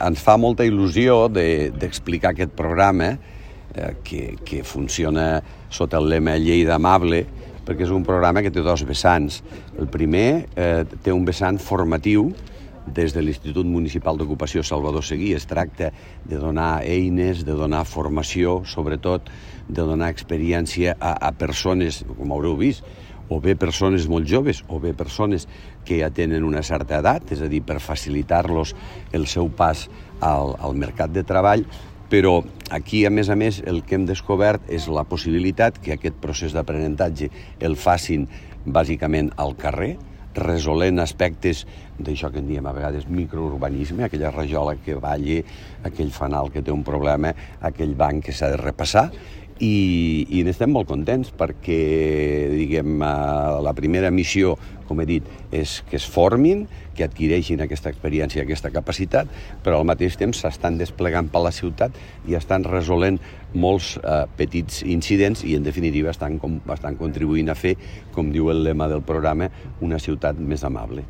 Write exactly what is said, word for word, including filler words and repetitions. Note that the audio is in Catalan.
ens fa molta il·lusió d'explicar aquest programa eh, que, que funciona sota el lema Lleida Amable, perquè és un programa que té dos vessants. El primer eh, té un vessant formatiu des de l'Institut Municipal d'Ocupació Salvador Seguí. Es tracta de donar eines, de donar formació, sobretot de donar experiència a, a persones, com haureu vist, o bé persones molt joves, o bé persones que ja tenen una certa edat, és a dir, per facilitar-los el seu pas al, al mercat de treball, però aquí, a més a més, el que hem descobert és la possibilitat que aquest procés d'aprenentatge el facin bàsicament al carrer, resolent aspectes d'això que en diem a vegades microurbanisme, aquella rajola que balla, aquell fanal que té un problema, aquell banc que s'ha de repassar, i, i n'estem molt contents perquè, diguem, la primera missió, com he dit, és que es formin, que adquireixin aquesta experiència, aquesta capacitat, però al mateix temps s'estan desplegant per la ciutat i estan resolent molts eh, petits incidents i, en definitiva, estan, com, estan contribuint a fer, com diu el lema del programa, una ciutat més amable.